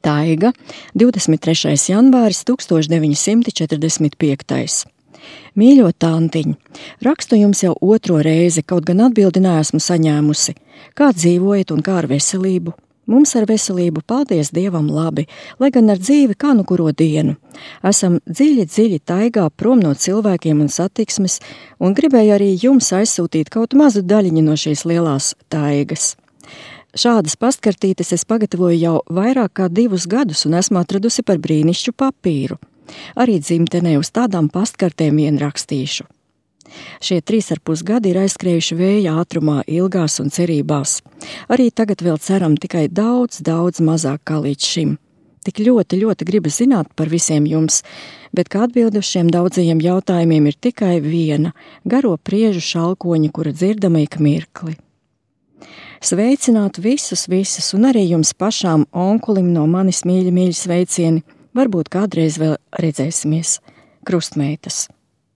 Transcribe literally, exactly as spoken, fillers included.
Taiga, divdesmit trešais janvāris tūkstoš deviņi simti četrdesmit piektais. Mīļo tantiņ, rakstu jums jau otro reizi, kaut gan atbildi neesmu saņēmusi. Kā dzīvojat un kā ar veselību? Mums ar veselību, paldies Dievam, labi, lai gan ar dzīvi kā nu kuro dienu. Esam dziļi, dziļi taigā prom no cilvēkiem un satiksmes, un gribēju arī jums aizsūtīt kaut mazu daļiņu no šīs lielās taigas. Šādas pastkartītes es pagatavoju jau vairāk kā divus gadus un esmu atradusi par brīnišķu papīru. Arī dzimtenē uz tādām pastkartēm vien rakstīšu. Šie trīs ar pus gadi ir aizskrējuši vēja ātrumā, ilgās un cerībās. Arī tagad vēl ceram tikai daudz, daudz mazāk kā līdz šim. Tik ļoti, ļoti gribu zināt par visiem jums, bet kā atbildi uz šiem daudzajiem jautājumiem ir tikai viena – garo priežu šalkoņa, kura dzirdama ik mirkli. Sveicināt visus, visus, un arī jums pašām onkulim no manis mīļi, mīļi sveicieni. Varbūt kādreiz vēl redzēsimies. Krustmeitas.